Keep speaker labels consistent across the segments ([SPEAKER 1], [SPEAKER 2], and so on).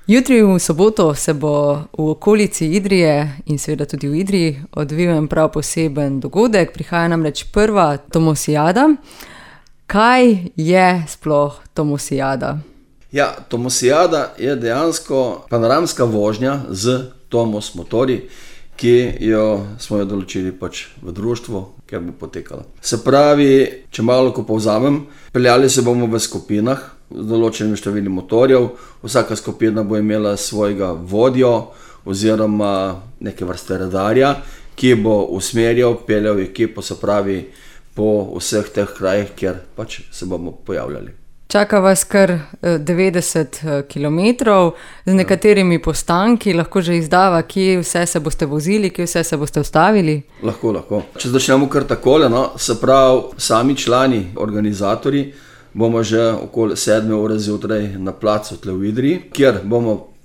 [SPEAKER 1] Jutri v soboto se bo v okolici Idrije in seveda tudi v Idriji odvijal prav poseben dogodek. Prihaja namreč prva Tomosijada. Kaj je sploh Tomosijada?
[SPEAKER 2] Ja, Tomosijada je dejansko panoramska vožnja z Tomos motorji, ki smo jo določili v društvu, kjer bo potekala. Se pravi, če malo ko povzamem, peljali se bomo v skupinah z določenimi številom motorjev. Vsaka skupina bo imela svojega vodjo oziroma neke vrste radarja, ki bo usmerjal, peljal ekipo, se pravi, po vseh teh krajih, kjer se bomo pojavljali.
[SPEAKER 1] Čaka vas kar 90 kilometrov z nekaterimi postanki. Lahko že izdava, kje vse se boste vozili, kje vse se boste ustavili?
[SPEAKER 2] Lahko. Če začnemo kar takole, se pravi, sami člani, organizatorji, bomo že okoli 7 ure zjutraj na placu tle v Idriji, kjer bomo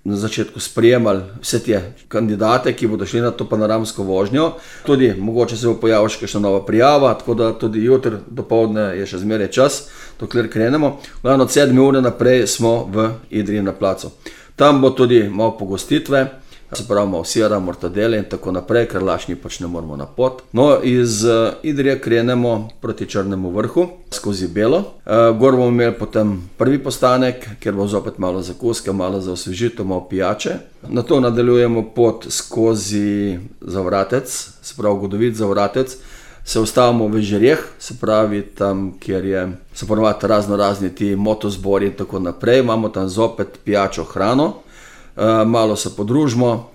[SPEAKER 2] na začetku sprejemali vse te kandidate, ki bodo šli na to panoramsko vožnjo. Tudi mogoče se bo pojavila še kakšna nova prijava, tako da tudi jutri dopoldne je še zmeraj čas, dokler krenemo. Od 7 ure naprej smo v Idriji na placu. Tam bo tudi malo pogostitve, se pravi malo sira, mortadele in tako naprej, ker lašni ne moramo na pot. Iz Idrije krenemo proti Črnemu vrhu, skozi Belo. Gor bomo imeli potem prvi postanek, kjer bo zopet malo zakuska, malo za osvežitev, malo pijače. Nato nadaljujemo pot skozi Zavratec, se pravi Godovit Zavratec. Se ustavimo v Žireh, se pravi tam, kjer so ponovadi razni ti motozbori in tako naprej. Imamo tam zopet pijačo, hrano. Malo se podružimo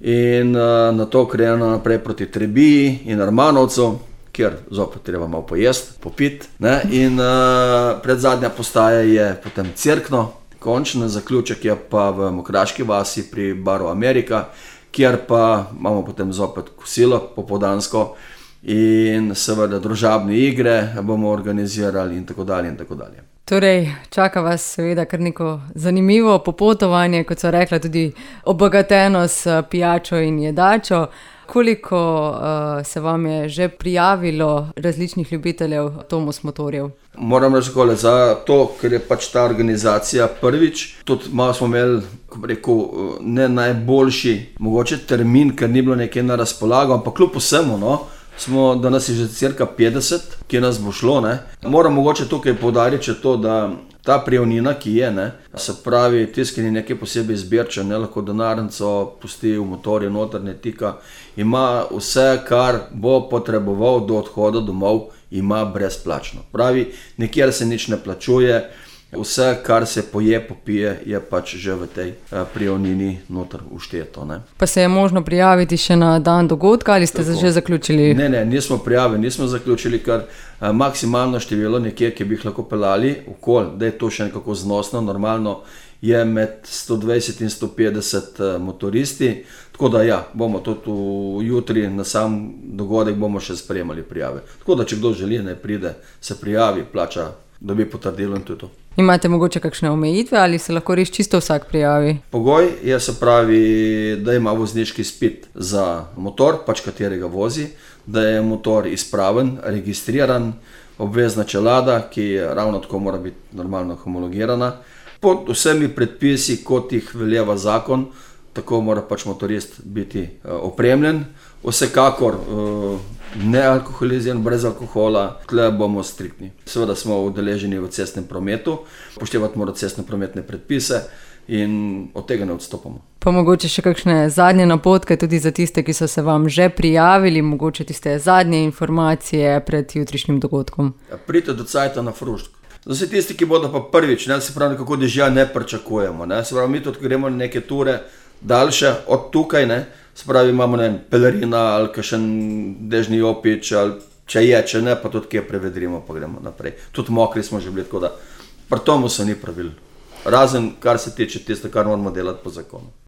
[SPEAKER 2] in nato krenemo naprej proti Trebiji in Armanovcu, kjer zopet treba malo pojesti, popiti. In predzadnja postaja je potem Cerkno, končni zaključek je pa v Mokraški vasi pri baru Amerika, kjer pa imamo potem zopet kosilo popoldansko in seveda družabne igre bomo organizirali in tako dalje in tako dalje.
[SPEAKER 1] Torej, čaka vas seveda kar neko zanimivo popotovanje, kot so rekla, tudi obogateno s pijačo in jedačo. Koliko se vam je že prijavilo različnih ljubiteljev Tomos motorjev?
[SPEAKER 2] Moram reči takole, za to, ker je ta organizacija prvič, tudi malo smo imeli, ko bi rekel, ne najboljši mogoče termin, ker ni bilo nekaj na razpolago, ampak kljub vsemu, da nas je že cirka 50, ki nas bo šlo. Moram mogoče tukaj poudariti še to, da ta prijavnina, ki je, se pravi, tisti, ki ni nekaj posebej zbirčen, lahko denarnico pusti v motorju noter, ne tika, ima vse, kar bo potreboval do odhoda domov, ima brezplačno. Pravi, nikjer se nič ne plačuje, vse, kar se poje, popije, je že v tej prijavnini noter všteto.
[SPEAKER 1] Pa se je možno prijaviti še na dan dogodka ali ste že zaključili?
[SPEAKER 2] Ne, nismo prijavili, nismo zaključili, ker maksimalno število nekje, ki bi jih lahko peljali, da je to še nekako znosno, normalno je med 120 in 150 motoristi, tako da bomo tudi jutri na sam dogodek bomo še sprejemali prijave. Tako da, če kdo želi, ne pride, se prijavi, plača, dobi potrdilo in to je to.
[SPEAKER 1] Imate mogoče kakšne omejitve ali se lahko res čisto vsak prijavi?
[SPEAKER 2] Pogoj je, se pravi, da ima vozniški izpit za motor, katerega vozi, da je motor izpraven, registriran, obvezna čelada, ki ravno tako mora biti normalno homologirana. Pod vsemi predpisi, kot jih veljeva zakon, tako mora motorist biti opremljen. Vsekakor nealkoholiziran, brez alkohola, tle bomo striktni. Seveda smo udeleženi v cestnem prometu, upoštevati mora cestno-prometne predpise in od tega ne odstopamo.
[SPEAKER 1] Pa mogoče še kakšne zadnje napotke tudi za tiste, ki so se vam že prijavili, mogoče tiste zadnje informacije pred jutrišnjim dogodkom?
[SPEAKER 2] Pridite do cajta na Frušk. Za vse tisti, ki bodo pa prvič, se pravi, nekako dežja ne pričakujemo. Se pravi, mi tudi gremo na neke ture daljše od tukaj, se pravi, imamo pelerina ali kakšen dežni jopič, ali če ne, pa tudi kje prevedrimo, pa gremo naprej. Tudi mokri smo že bili, tako da pri tomu se ni pravil. Razen, kar se tiče tiste, kar moramo delati po zakonu.